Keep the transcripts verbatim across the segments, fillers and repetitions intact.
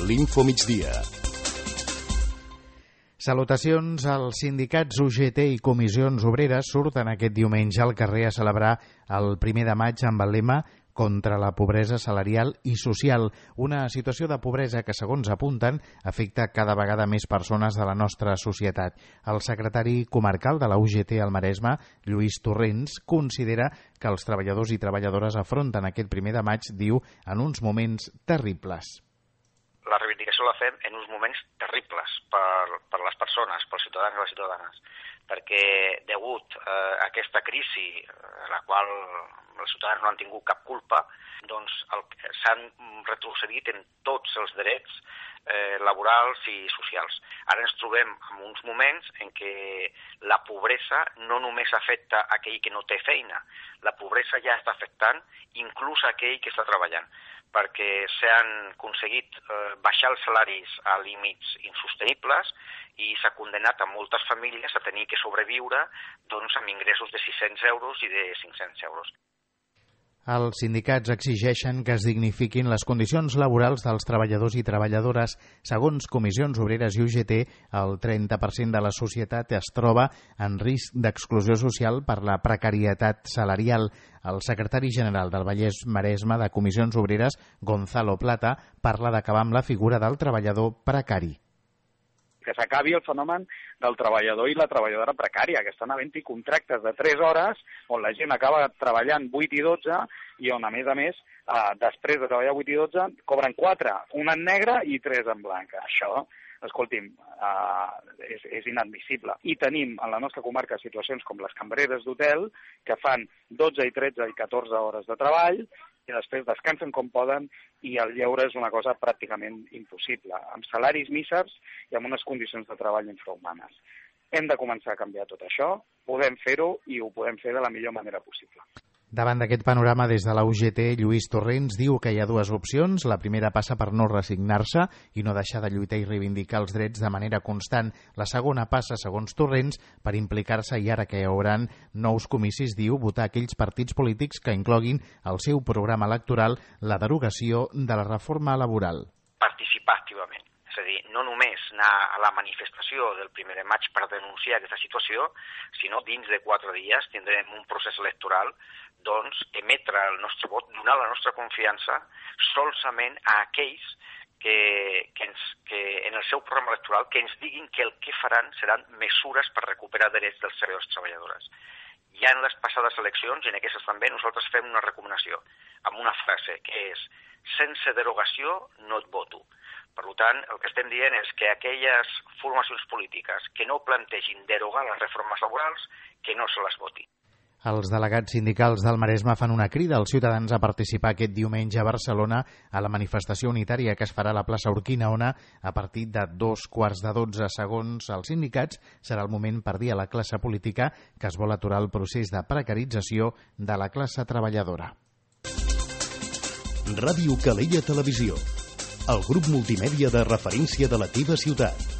l'Infomigdia. Salutacions. Els sindicats U G T i comissions obreres surten aquest diumenge al carrer a celebrar el primer de maig amb el lema contra la pobresa salarial i social, una situació de pobresa que, segons apunten, afecta cada vegada més persones de la nostra societat. El secretari comarcal de la U G T al Maresme, Lluís Torrents, considera que els treballadors i treballadores afronten aquest primer de maig, diu, en uns moments terribles. La reivindicació la fem en uns moments terribles per, per les persones, pels ciutadans i les ciutadanes, perquè degut eh, a aquesta crisi, a la qual els ciutadans no han tingut cap culpa, doncs s'han retrocedit en tots els drets eh, laborals i socials. Ara ens trobem en uns moments en què la pobresa no només afecta aquell que no té feina, la pobresa ja està afectant inclús aquell que està treballant, perquè s'han aconseguit eh, baixar els salaris a límits insostenibles i s'ha condenat a moltes famílies a tenir que sobreviure doncs, amb ingressos de sis-cents euros i de cinc-cents euros. Els sindicats exigeixen que es dignifiquin les condicions laborals dels treballadors i treballadores. Segons comissions obreres i U G T, el trenta per cent de la societat es troba en risc d'exclusió social per la precarietat salarial. El secretari general del Vallès Maresme de Comissions Obreres, Gonzalo Plata, parla d'acabar amb la figura del treballador precari. Que s'acabi el fenomen del treballador i la treballadora precària, que estan havent-hi contractes de tres hores on la gent acaba treballant vuit i dotze i on, a més a més, eh, després de treballar vuit i dotze, cobren quatre, una en negre i tres en blanc. Això, escolti'm, eh, és, és inadmissible. I tenim en la nostra comarca situacions com les cambreres d'hotel, que fan dotze i tretze i catorze hores de treball, i després descansen com poden i el lleure és una cosa pràcticament impossible, amb salaris mísers i amb unes condicions de treball infrahumanes. Hem de començar a canviar tot això, podem fer-ho i ho podem fer de la millor manera possible. Davant d'aquest panorama, des de la U G T, Lluís Torrents diu que hi ha dues opcions. La primera passa per no resignar-se i no deixar de lluitar i reivindicar els drets de manera constant. La segona passa, segons Torrents, per implicar-se i ara que hi haurà nous comicis, diu, votar aquells partits polítics que incloguin al seu programa electoral la derogació de la reforma laboral. Participar activament. És a dir, no només anar a la manifestació del primer de maig per denunciar aquesta situació, sinó dins de quatre dies tindrem un procés electoral, doncs emetre el nostre vot, donar la nostra confiança solament a aquells que, que, ens, que en el seu programa electoral que ens diguin que el que faran seran mesures per recuperar drets dels treballadors i treballadores. Ja en les passades eleccions, i en aquestes també, nosaltres fem una recomanació amb una frase que és sense derogació no et voto. Per tant, el que estem dient és que aquelles formacions polítiques que no plantegin derogar les reformes laborals, que no se les voti. Els delegats sindicals del Maresme fan una crida als ciutadans a participar aquest diumenge a Barcelona a la manifestació unitària que es farà a la plaça Urquinaona a partir de dos quarts de dotze. Segons els sindicats, serà el moment per dir a la classe política que es vol aturar el procés de precarització de la classe treballadora. Ràdio Calella Televisió, el grup multimèdia de referència de la teva ciutat.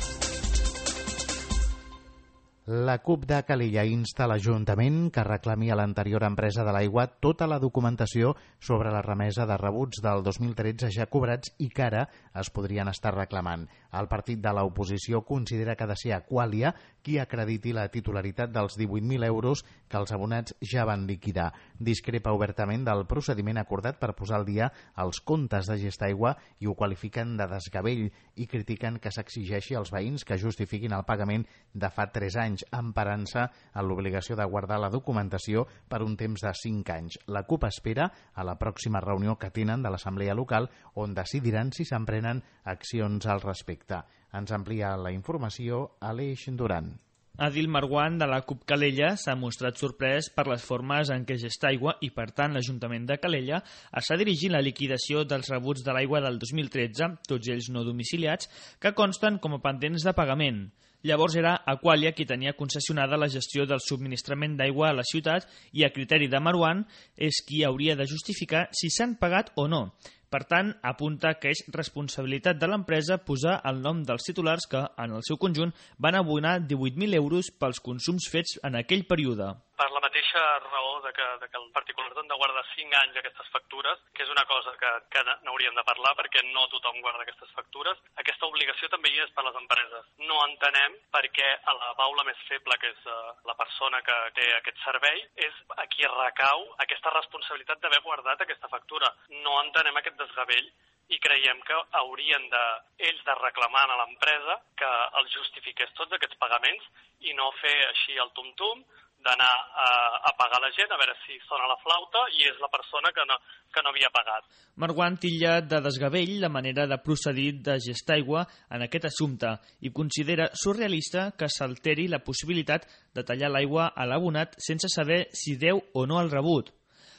La CUP de Calella insta a l'Ajuntament que reclami a l'anterior empresa de l'aigua tota la documentació sobre la remesa de rebuts del dos mil tretze ja cobrats i que ara es podrien estar reclamant. El partit de l'oposició considera que ha de ser Aqualia qui acrediti la titularitat dels divuit mil euros que els abonats ja van liquidar. Discrepa obertament del procediment acordat per posar al dia els comptes de Gestaigua i ho qualifiquen de desgavell i critiquen que s'exigeixi als veïns que justifiquin el pagament de fa tres anys, emparant-se en l'obligació de guardar la documentació per un temps de cinc anys. La CUP espera a la pròxima reunió que tenen de l'Assemblea Local on decidiran si s'emprenen accions al respecte. Ens amplia la informació Aleix Duran. Adil Marwan, de la CUP Calella, s'ha mostrat sorprès per les formes en què Gestaigua i, per tant, l'Ajuntament de Calella està dirigint la liquidació dels rebuts de l'aigua del dos mil tretze, tots ells no domiciliats, que consten com a pendents de pagament. Llavors era Aqualia qui tenia concessionada la gestió del subministrament d'aigua a la ciutat i, a criteri de Marwan, és qui hauria de justificar si s'han pagat o no. Per tant, apunta que és responsabilitat de l'empresa posar el nom dels titulars que, en el seu conjunt, van abonar divuit mil euros pels consums fets en aquell període. Per la mateixa raó de que, de que el particular han de guardar cinc anys aquestes factures, que és una cosa que, que n'hauríem de parlar perquè no tothom guarda aquestes factures, aquesta obligació també hi és per les empreses. No entenem per què a la baula més feble, que és uh, la persona que té aquest servei, és a qui recau aquesta responsabilitat d'haver guardat aquesta factura. No entenem aquest desgavell i creiem que haurien de, ells de reclamar a l'empresa que els justifiqués tots aquests pagaments i no fer així el tum-tum, d'anar a, a pagar la gent, a veure si sona la flauta i és la persona que no, que no havia pagat. Marguant titlla de desgavell la manera de procedir de Gestaigua en aquest assumpte i considera surrealista que s'alteri la possibilitat de tallar l'aigua a l'abonat sense saber si deu o no el rebut.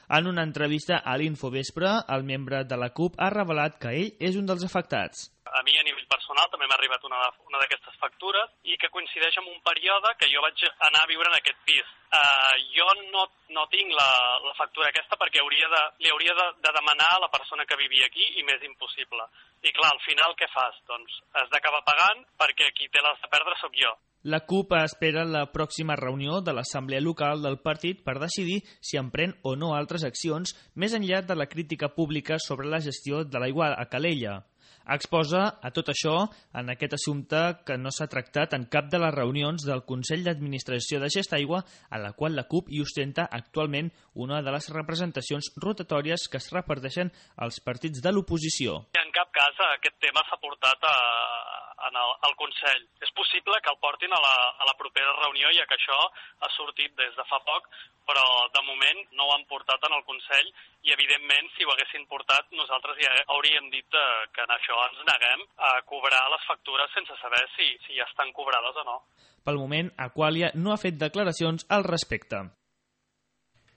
En una entrevista a l'Infovespre, el membre de la CUP ha revelat que ell és un dels afectats. A mi, a nivell personal, també m'ha arribat una, una d'aquestes factures i que coincideix amb un període que jo vaig anar a viure en aquest pis. Uh, jo no, no tinc la, la factura aquesta perquè hauria de, li hauria de, de demanar a la persona que vivia aquí i m'és impossible. I clar, al final què fas? Doncs has d'acabar pagant perquè qui té les de perdre sóc jo. La CUP espera la pròxima reunió de l'Assemblea Local del partit per decidir si emprèn o no altres accions més enllà de la crítica pública sobre la gestió de l'aigua a Calella. Exposa a tot això en aquest assumpte que no s'ha tractat en cap de les reunions del Consell d'Administració de Gestaigua, a la qual la CUP hi ostenta actualment una de les representacions rotatòries que es reparteixen als partits de l'oposició. En cap cas aquest tema s'ha portat a, en el, al Consell. És possible que el portin a la, a la propera reunió, ja que això ha sortit des de fa poc, però de moment no ho han portat en el Consell i, evidentment, si ho haguessin portat, nosaltres ja hauríem dit que en això ens neguem a cobrar les factures sense saber si, si ja estan cobrades o no. Pel moment, Aqualia no ha fet declaracions al respecte.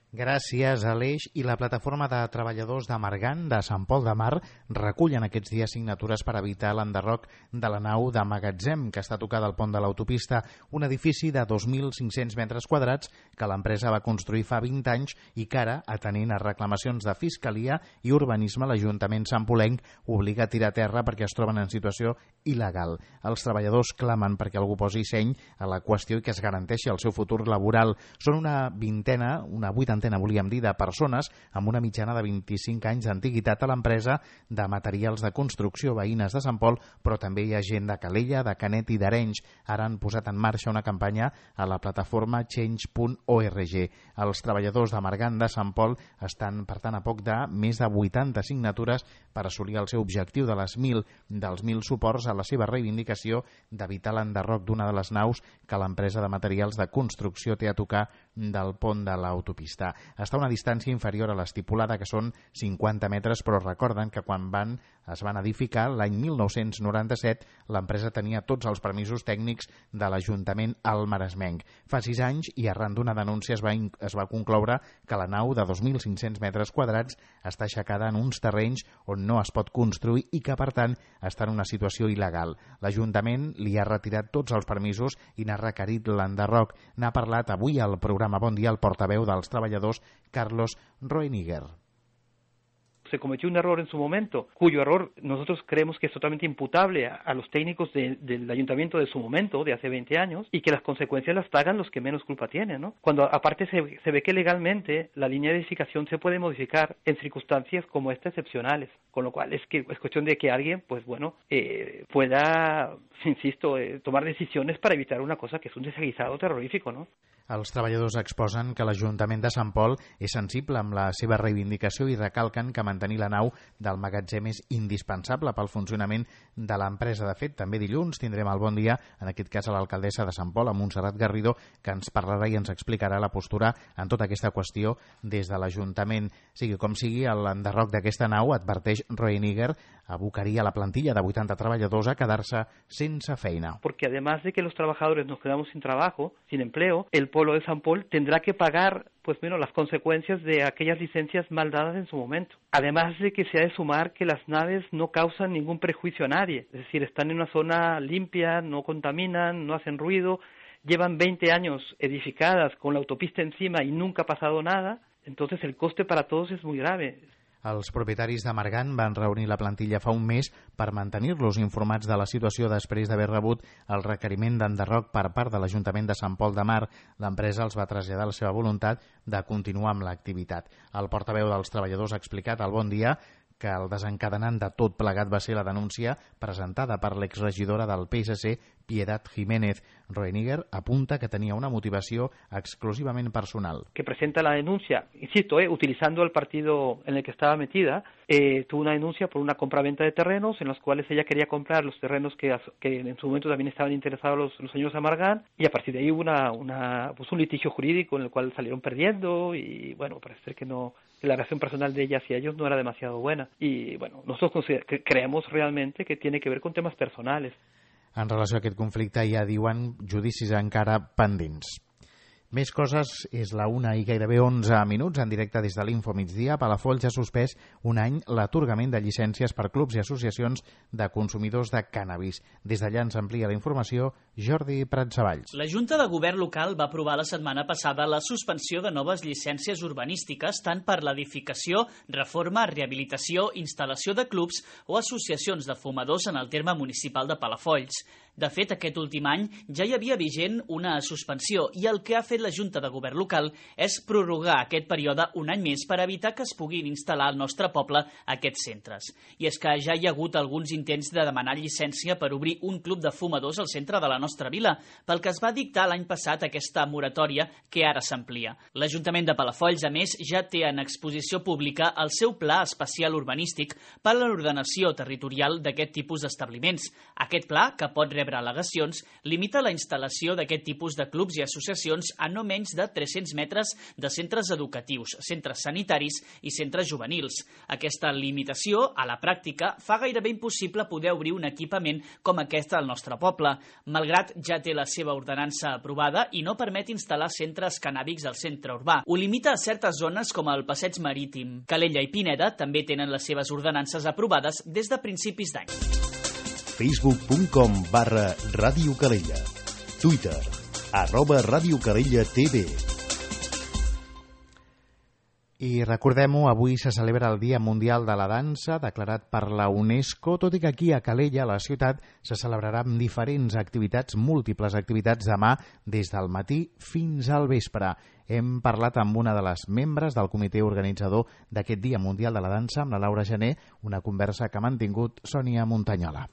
Gràcies a l'Eix i la plataforma de treballadors de Margant de Sant Pol de Mar recullen aquests dies signatures per evitar l'enderroc de la nau de magatzem que està tocada al pont de l'autopista, un edifici de dos mil cinc-cents metres quadrats que l'empresa va construir fa vint anys i que ara, atenent a reclamacions de Fiscalia i Urbanisme, l'Ajuntament santpolenc obliga a tirar a terra perquè es troben en situació il·legal. Els treballadors clamen perquè algú posi seny a la qüestió i que es garanteixi el seu futur laboral. Són una vintena, una vuitantena volíem dir, de persones amb una mitjana de vint-i-cinc anys d'antiguitat a l'empresa de materials de construcció veïnes de Sant Pol, però també hi ha gent de Calella, de Canet i d'Arenys. Ara han posat en marxa una campanya a la plataforma change punt org. Els treballadors de Margant de Sant Pol estan, per tant, a poc de més de vuitanta signatures per assolir el seu objectiu de les mil dels mil suports a la seva reivindicació d'evitar l'enderroc d'una de les naus que l'empresa de materials de construcció té a tocar del pont de l'autopista. Està a una distància inferior a l'estipulada, que són cinquanta metres, però recorden que quan van, es van edificar l'any mil nou-cents noranta-set, l'empresa tenia tots els permisos tècnics de l'Ajuntament almaresmenc. Fa sis anys, i arran d'una denúncia, es va, es va concloure que la nau de dos mil cinc-cents metres quadrats està aixecada en uns terrenys on no es pot construir i que, per tant, està en una situació il·legal. L'Ajuntament li ha retirat tots els permisos i n'ha requerit l'enderroc. N'ha parlat avui al programa Bon Dia el portaveu dels treballadors, Carlos Roeniger. Se cometió un error en su momento, cuyo error nosotros creemos que es totalmente imputable a, a los técnicos de, del ayuntamiento de su momento, de hace veinte años, y que las consecuencias las pagan los que menos culpa tienen, ¿no? Cuando aparte se, se ve que legalmente la línea de edificación se puede modificar en circunstancias como estas excepcionales, con lo cual es que es cuestión de que alguien, pues bueno, eh, pueda, insisto, eh, tomar decisiones para evitar una cosa que es un desaguisado terrorífico, ¿no? Els treballadors exposen que l'Ajuntament de Sant Pol és sensible amb la seva reivindicació i recalquen que mantenir la nau del magatzem és indispensable pel funcionament de l'empresa. De fet, també dilluns tindrem el Bon Dia, en aquest cas a l'alcaldessa de Sant Pol, a Montserrat Garrido, que ens parlarà i ens explicarà la postura en tota aquesta qüestió des de l'Ajuntament. Sigui com sigui, l'enderroc d'aquesta nau, adverteix Roeniger, abocaria la plantilla de vuitanta treballadors a quedar-se sense feina. Porque además de que los trabajadores nos quedamos sin trabajo, sin empleo, el Polo de Sant Pol tendrá que pagar pues bueno, las consecuencias de aquellas licencias mal dadas en su momento. Además de que se ha de sumar que las naves no causan ningún prejuicio a nadie, es decir, están en una zona limpia, no contaminan, no hacen ruido, llevan veinte años edificadas con la autopista encima y nunca ha pasado nada, entonces el coste para todos es muy grave. Els propietaris de Margant van reunir la plantilla fa un mes per mantenir-los informats de la situació després d'haver rebut el requeriment d'enderroc per part de l'Ajuntament de Sant Pol de Mar. L'empresa els va traslladar la seva voluntat de continuar amb l'activitat. El portaveu dels treballadors ha explicat al Bon Dia que el desencadenant de tot plegat va ser la denúncia presentada per l'exregidora del P S C, Piedad Jiménez. Roeniger apunta que tenía una motivación exclusivamente personal. Que presenta la denuncia, insisto, eh, utilizando el partido en el que estaba metida, eh, tuvo una denuncia por una compraventa de terrenos en los cuales ella quería comprar los terrenos que, que en su momento también estaban interesados los, los señores Amargán, y a partir de ahí hubo una, una, pues un litigio jurídico en el cual salieron perdiendo y bueno, parece ser que no, que la relación personal de ella hacia ellos no era demasiado buena. Y bueno, nosotros creemos realmente que tiene que ver con temas personales. En relació a aquest conflicte ja diuen judicis encara pendents. Més coses, és la una i gairebé onze minuts en directe des de l'Info Migdia. Palafolls ha suspès un any l'atorgament de llicències per clubs i associacions de consumidors de cànnabis. Des d'allà ens amplia la informació Jordi Pratsavalls. La Junta de Govern local va aprovar la setmana passada la suspensió de noves llicències urbanístiques tant per l'edificació, reforma, rehabilitació, instal·lació de clubs o associacions de fumadors en el terme municipal de Palafolls. De fet, aquest últim any ja hi havia vigent una suspensió i el que ha fet la Junta de Govern local és prorrogar aquest període un any més per evitar que es puguin instal·lar al nostre poble aquests centres. I és que ja hi ha hagut alguns intents de demanar llicència per obrir un club de fumadors al centre de la nostra vila, pel que es va dictar l'any passat aquesta moratòria que ara s'amplia. L'Ajuntament de Palafolls, a més, ja té en exposició pública el seu pla especial urbanístic per a l'ordenació territorial d'aquest tipus d'establiments. Aquest pla, que pot rebre al·legacions, limita la instal·lació d'aquest tipus de clubs i associacions a no menys de tres-cents metres de centres educatius, centres sanitaris i centres juvenils. Aquesta limitació, a la pràctica, fa gairebé impossible poder obrir un equipament com aquest al nostre poble, malgrat ja té la seva ordenança aprovada i no permet instal·lar centres cannàbics al centre urbà. Ho limita a certes zones com el Passeig Marítim. Calella i Pineda també tenen les seves ordenances aprovades des de principis d'any. facebook punt com barra Ràdio Calella. Twitter, arroba Ràdio Calella T V. I recordem-ho, avui se celebra el Dia Mundial de la Dansa, declarat per la UNESCO, tot i que aquí a Calella, a la ciutat, se celebrarà amb diferents activitats, múltiples activitats demà, des del matí fins al vespre. Hem parlat amb una de les membres del comitè organitzador d'aquest Dia Mundial de la Dansa, amb la Laura Gené, una conversa que ha mantingut Sònia Muntanyola.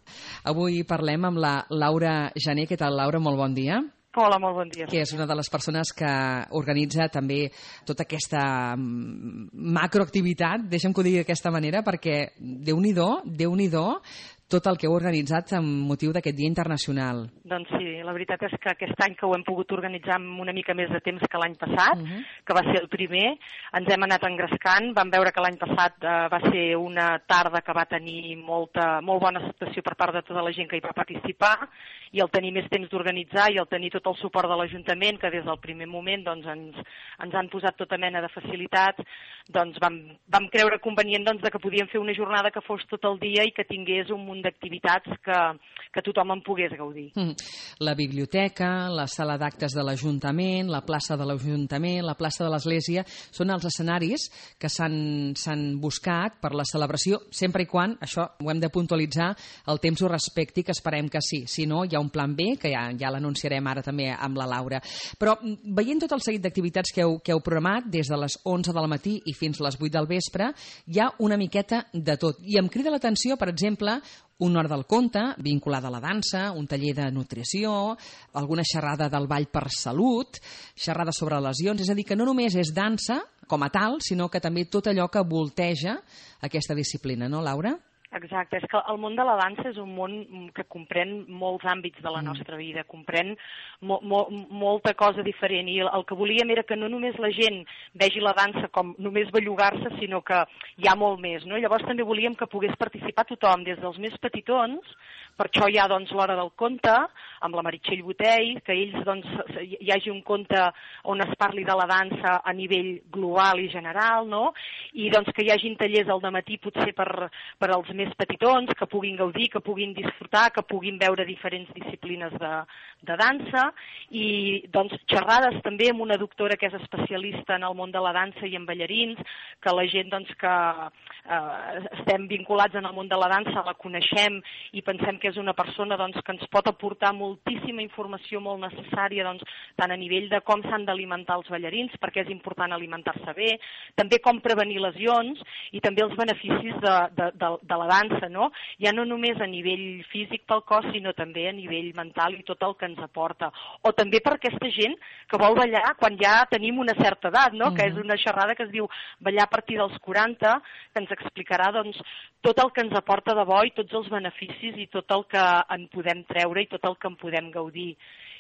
Avui parlem amb la Laura Gené. Què tal, Laura? Molt bon dia. Hola, molt bon dia. Que és una de les persones que organitza també tota aquesta macroactivitat, deixa'm que ho digui d'aquesta manera, perquè Déu-n'hi-do, Déu-n'hi-do, tot el que heu organitzat amb motiu d'aquest Dia Internacional. Doncs sí, la veritat és que aquest any que ho hem pogut organitzar amb una mica més de temps que l'any passat, uh-huh. que va ser el primer, ens hem anat engrescant. Vam veure que l'any passat eh, va ser una tarda que va tenir molta, molt bona acceptació per part de tota la gent que hi va participar, i el tenir més temps d'organitzar i el tenir tot el suport de l'Ajuntament, que des del primer moment doncs, ens, ens han posat tota mena de facilitats, doncs vam, vam creure convenient doncs, de que podíem fer una jornada que fos tot el dia i que tingués un munt d'activitats que, que tothom en pogués gaudir. Mm. La biblioteca, la sala d'actes de l'Ajuntament, la plaça de l'Ajuntament, la plaça de l'Església, són els escenaris que s'han buscat per la celebració, sempre i quan, això ho hem de puntualitzar, el temps ho respecti, que esperem que sí. Si no, hi ha un plan B, que ja, ja l'anunciarem ara també amb la Laura. Però veient tot el seguit d'activitats que heu, que heu programat, des de les onze del matí i fins a les vuit del vespre, hi ha una miqueta de tot. I em crida l'atenció, per exemple, una hora del conte, vinculada a la dansa, un taller de nutrició, alguna xerrada del ball per salut, xerrada sobre lesions, és a dir, que no només és dansa com a tal, sinó que també tot allò que volteja aquesta disciplina, no, Laura? Exacte, és que el món de la dansa és un món que comprèn molts àmbits de la nostra vida, comprèn mo mo molta cosa diferent, i el que volíem era que no només la gent vegi la dansa com només bellugar-se, sinó que hi ha molt més, no? Llavors també volíem que pogués participar tothom, des dels més petitons, per això hi ha doncs, l'hora del conte, amb la Meritxell Botell, que ells doncs, hi hagi un conte on es parli de la dansa a nivell global i general, no? I doncs, que hi hagin tallers al dematí potser per, per als més més petitons, que puguin gaudir, que puguin disfrutar, que puguin veure diferents disciplines de, de dansa, i doncs xerrades també amb una doctora que és especialista en el món de la dansa i en ballarins, que la gent doncs, que eh, estem vinculats en el món de la dansa la coneixem i pensem que és una persona doncs, que ens pot aportar moltíssima informació molt necessària, doncs, tant a nivell de com s'han d'alimentar els ballarins, perquè és important alimentar-se bé, també com prevenir lesions i també els beneficis de, de, de, de la dansa, no? Ja no només a nivell físic pel cos, sinó també a nivell mental i tot el que ens aporta. O també per aquesta gent que vol ballar quan ja tenim una certa edat, no? Mm-hmm. Que és una xerrada que es diu ballar a partir dels quaranta, que ens explicarà doncs, tot el que ens aporta de bo i tots els beneficis i tot el que en podem treure i tot el que en podem gaudir.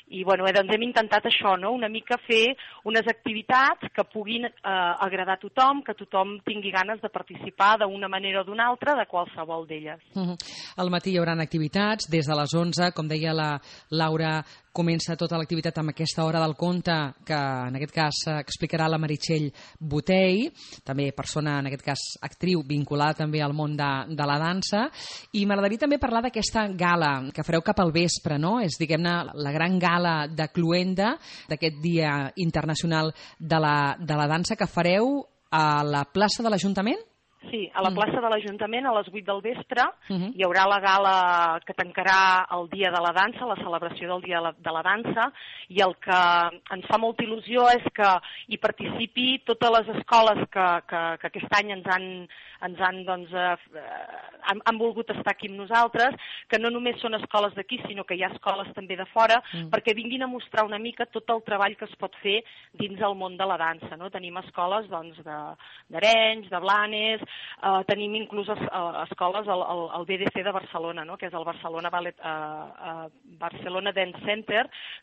I bueno, doncs hem intentat això, no? Una mica fer unes activitats que puguin eh, agradar a tothom, que tothom tingui ganes de participar d'una manera o d'una altra de qualsevol d'elles. Uh-huh. Al matí hi haurà activitats des de les onze, com deia la Laura, comença tota l'activitat amb aquesta hora del conte que en aquest cas explicarà la Meritxell Botei, també persona, en aquest cas actriu, vinculada també al món de, de la dansa, i m'agradaria també parlar d'aquesta gala que fareu cap al vespre, no? És, diguem-ne, la gran gala de Cluenda d'aquest Dia Internacional de la, de la Dansa que fareu a la plaça de l'Ajuntament? Sí, a la plaça de l'Ajuntament a les vuit del vespre uh-huh. hi haurà la gala que tancarà el Dia de la Dansa, la celebració del Dia de la, de la Dansa, i el que ens fa molta il·lusió és que hi participi totes les escoles que, que, que aquest any ens han, ens han, doncs, eh, han, han volgut estar aquí amb nosaltres, que no només són escoles d'aquí, sinó que hi ha escoles també de fora, uh-huh. perquè vinguin a mostrar una mica tot el treball que es pot fer dins el món de la dansa, no? Tenim escoles doncs, d'Arenys, de Blanes, Uh, tenim inclús es, uh, escoles al, al, al B D C de Barcelona, no? Que és el Barcelona, Ballet, uh, uh, Barcelona Dance Center,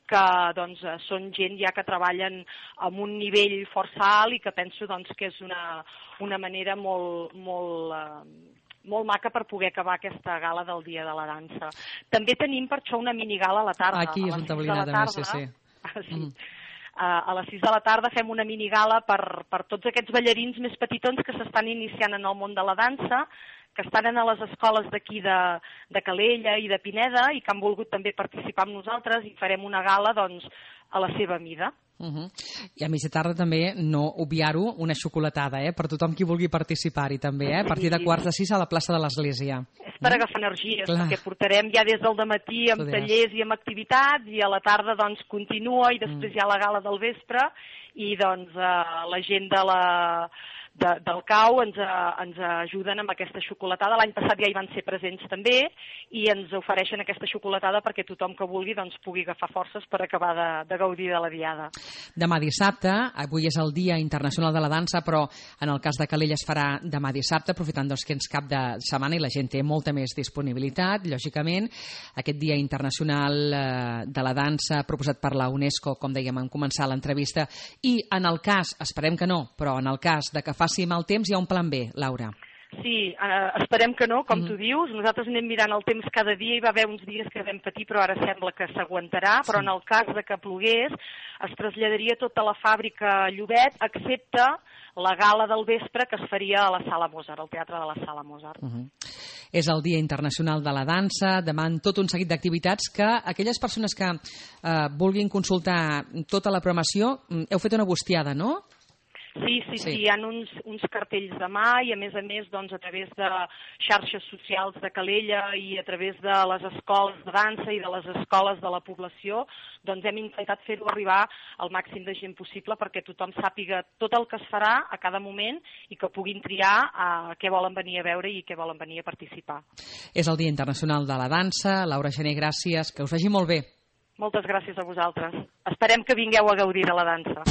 que doncs, uh, són gent ja que treballen amb un nivell força alt i que penso doncs, que és una, una manera molt, molt, uh, molt maca per poder acabar aquesta gala del Dia de la Dansa. També tenim per això una minigala a la tarda. Aquí és on t'ha oblidat a més, sí, sí. sí. Mm. Uh, a les sis de la tarda fem una minigala per, per tots aquests ballarins més petitons que s'estan iniciant en el món de la dansa, que estan a les escoles d'aquí de, de Calella i de Pineda i que han volgut també participar amb nosaltres, i farem una gala doncs, a la seva mida. Uh-huh. I a mitja tarda també, no obviar-ho, una xocolatada, eh? Per tothom qui vulgui participar-hi també, eh? A partir de quarts de sis a la plaça de l'Església. És per agafar energies, Clar. Perquè portarem ja des del dematí amb Podries. tallers i amb activitats, i a la tarda doncs continua, i després mm. hi ha la gala del vespre, i doncs eh, la gent de la... De, del C A U ens, ens ajuden amb aquesta xocolatada. L'any passat ja hi van ser presents també i ens ofereixen aquesta xocolatada perquè tothom que vulgui doncs, pugui agafar forces per acabar de, de gaudir de la diada. Demà dissabte, avui és el Dia Internacional de la Dansa, però en el cas de Calella es farà demà dissabte, aprofitant doncs, que ens cap de setmana i la gent té molta més disponibilitat, lògicament. Aquest Dia Internacional eh, de la Dansa proposat per la UNESCO, com dèiem en començar l'entrevista, i en el cas, esperem que no, però en el cas de que faci mal temps, hi ha un plan B, Laura. Sí, eh, esperem que no, com mm. tu dius. Nosaltres anem mirant el temps cada dia, hi va haver uns dies que vam patir, però ara sembla que s'aguantarà, però sí. En el cas de que plogués, es traslladaria tota la fàbrica a Llobet, excepte la gala del vespre que es faria a la Sala Mozart, al Teatre de la Sala Mozart. Uh-huh. És el Dia Internacional de la Dansa, demà tot un seguit d'activitats que aquelles persones que eh, vulguin consultar tota la programació, heu fet una bustiada, no? Sí, sí, sí, sí, hi ha uns, uns cartells de mà i a més a més doncs, a través de xarxes socials de Calella i a través de les escoles de dansa i de les escoles de la població doncs hem intentat fer-ho arribar al màxim de gent possible perquè tothom sàpiga tot el que es farà a cada moment i que puguin triar a què volen venir a veure i què volen venir a participar. És el Dia Internacional de la Dansa. Laura Gené, gràcies, que us vagi molt bé. Moltes gràcies a vosaltres. Esperem que vingueu a gaudir de la dansa.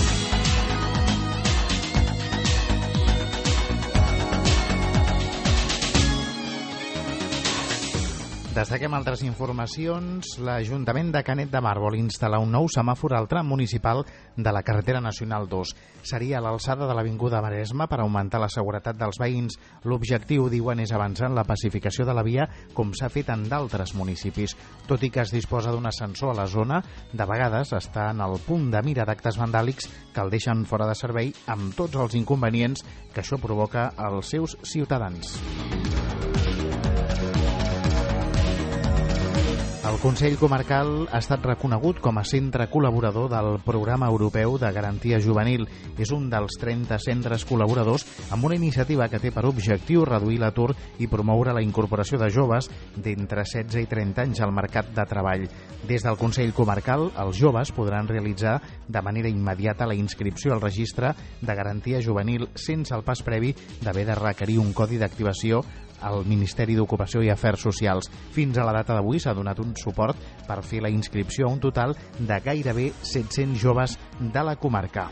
Destaquem altres informacions. L'Ajuntament de Canet de Mar vol instal·lar un nou semàfor al tram municipal de la carretera nacional dos. Seria a l'alçada de l'Avinguda Maresme per augmentar la seguretat dels veïns. L'objectiu, diuen, és avançar en la pacificació de la via com s'ha fet en d'altres municipis. Tot i que es disposa d'un ascensor a la zona, de vegades està en el punt de mira d'actes vandàlics que el deixen fora de servei amb tots els inconvenients que això provoca als seus ciutadans. El Consell Comarcal ha estat reconegut com a centre col·laborador del Programa Europeu de Garantia Juvenil. És un dels trenta centres col·laboradors amb una iniciativa que té per objectiu reduir l'atur i promoure la incorporació de joves d'entre setze i trenta anys al mercat de treball. Des del Consell Comarcal, els joves podran realitzar de manera immediata la inscripció al registre de Garantia Juvenil sense el pas previ d'haver de requerir un codi d'activació al Ministeri d'Ocupació i Afers Socials. Fins a la data d'avui s'ha donat un suport per fer la inscripció a un total de gairebé set-cents joves de la comarca.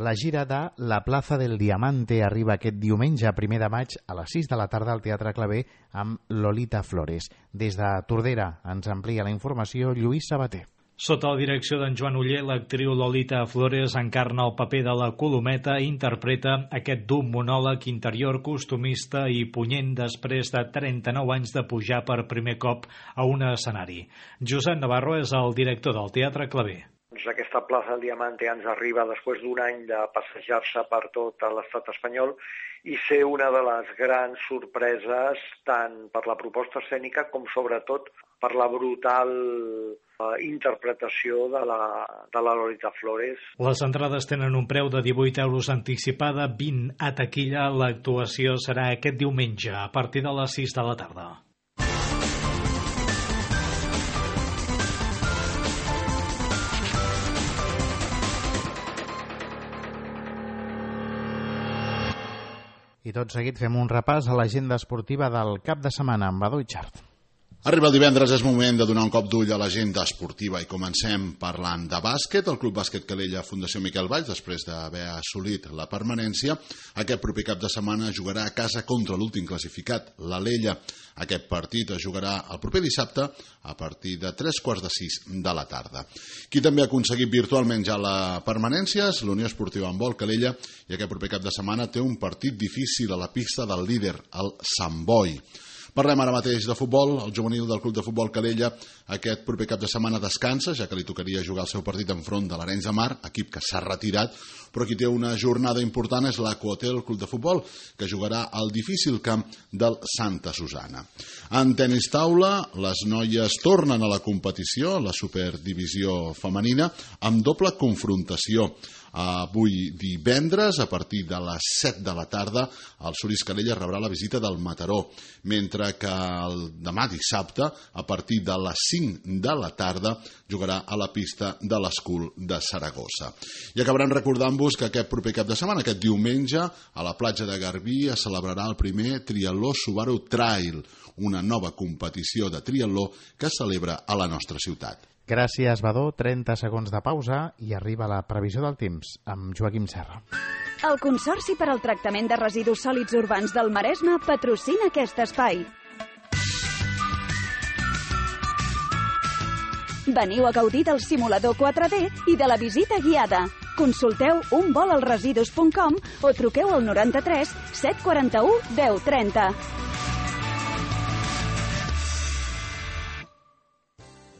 La gira de La Plaza del Diamante arriba aquest diumenge, primer de maig, a les sis de la tarda al Teatre Clavé amb Lolita Flores. Des de Tordera ens amplia la informació Lluís Sabater. Sota la direcció d'en Joan Oller, l'actriu Lolita Flores encarna el paper de la Colometa i interpreta aquest dur monòleg interior costumista i punyent després de trenta-nou anys de pujar per primer cop a un escenari. Josep Navarro és el director del Teatre Clavé. Aquesta plaça del Diamante ens arriba després d'un any de passejar-se per tot l'estat espanyol i ser una de les grans sorpreses tant per la proposta escènica com sobretot per la brutal eh, interpretació de la, de la Lolita Flores. Les entrades tenen un preu de divuit euros anticipada, vint a taquilla. L'actuació serà aquest diumenge a partir de les sis de la tarda. I tot seguit fem un repàs a l'agenda esportiva del cap de setmana amb Badó i Xart. Arriba el divendres, és moment de donar un cop d'ull a l'agenda esportiva i comencem parlant de bàsquet. El Club Bàsquet Calella Fundació Miquel Valls, després d'haver assolit la permanència, aquest proper cap de setmana jugarà a casa contra l'últim classificat, l'Alella. Aquest partit es jugarà el proper dissabte a partir de tres quarts de sis de la tarda. Qui també ha aconseguit virtualment ja la permanència és l'Unió Esportiva Handbol Calella i aquest proper cap de setmana té un partit difícil a la pista del líder, el Sant Boi. Parlem ara mateix de futbol. El juvenil del Club de Futbol Calella aquest proper cap de setmana descansa, ja que li tocaria jugar el seu partit enfront de l'Arenys de Mar, equip que s'ha retirat, però qui té una jornada important és l'Aquahotel Club de Futbol, que jugarà al difícil camp del Santa Susana. En tenis taula, les noies tornen a la competició, la superdivisió femenina, amb doble confrontació. Avui divendres, a partir de les set de la tarda, el Solís Calella rebrà la visita del Mataró, mentre que el demà dissabte, a partir de les cinc de la tarda, jugarà a la pista de l'Escul de Saragossa. I acabaran recordant-vos que aquest proper cap de setmana, aquest diumenge, a la platja de Garbí es celebrarà el primer Triatló Subaru Trail, una nova competició de triatló que es celebra a la nostra ciutat. Gràcies, Badó. trenta segons de pausa i arriba la previsió del temps amb Joaquim Serra. El Consorci per al Tractament de Residus Sòlids Urbans del Maresme patrocina aquest espai. Veniu a gaudir del simulador quatre D i de la visita guiada. Consulteu un vol als residus punt com o truqueu al noranta-tres set quaranta-u deu trenta.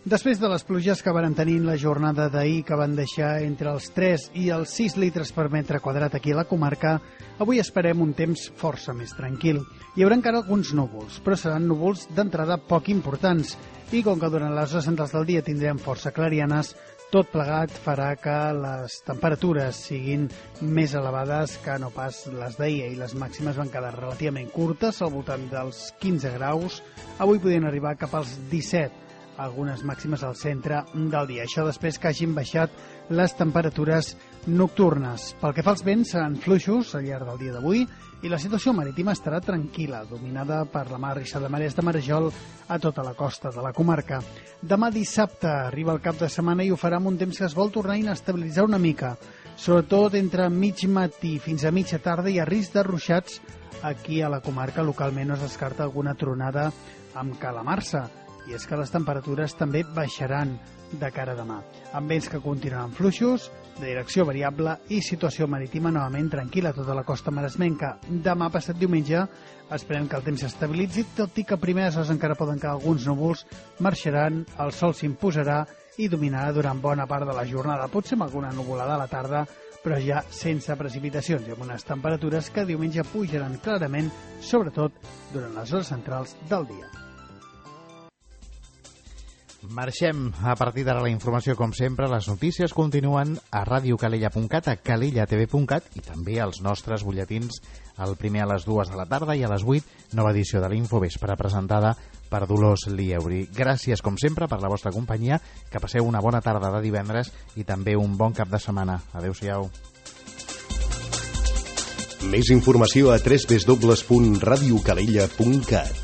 Després de les pluges que van tenir la jornada d'ahir, que van deixar entre els tres i els sis litres per metre quadrat aquí a la comarca, avui esperem un temps força més tranquil. Hi haurà encara alguns núvols, però seran núvols d'entrada poc importants. I com que durant les hores centrals del dia tindrem força clarianes, tot plegat farà que les temperatures siguin més elevades que no pas les d'ahir. I les màximes van quedar relativament curtes, al voltant dels quinze graus. Avui podien arribar cap als disset. Algunes màximes al centre del dia. Això després que hagin baixat les temperatures nocturnes. Pel que fa als vents, seran fluixos al llarg del dia d'avui i la situació marítima estarà tranquil·la, dominada per la mar rissa de marès de Marejol a tota la costa de la comarca. Demà dissabte arriba el cap de setmana i ho farà amb un temps que es vol tornar a inestabilitzar una mica, sobretot entre mig matí fins a mitja tarda hi ha risc de ruixats aquí a la comarca. Localment no es descarta alguna tronada amb calamarsa. I és que les temperatures també baixaran de cara a demà, amb vents que continuaran fluixos, de direcció variable i situació marítima novament tranquil·la a tota la costa maresmenca. Demà passat diumenge esperem que el temps s'estabilitzi, tot i que a primeres hores encara poden quedar alguns núvols, marxaran, el sol s'imposarà i dominarà durant bona part de la jornada, potser amb alguna nuvolada a la tarda, però ja sense precipitacions i amb unes temperatures que diumenge pujaran clarament, sobretot durant les hores centrals del dia. Marxem a partir d'ara la informació, com sempre. Les notícies continuen a radiocalella punt cat, a calella t v punt cat i també als nostres butlletins, el primer a les dues de la tarda i a les vuit, nova edició de l'Infovespre presentada per Dolors Lieuri. Gràcies, com sempre, per la vostra companyia, que passeu una bona tarda de divendres i també un bon cap de setmana. Adéu-siau. Més informació a w w w punt radiocalella punt cat.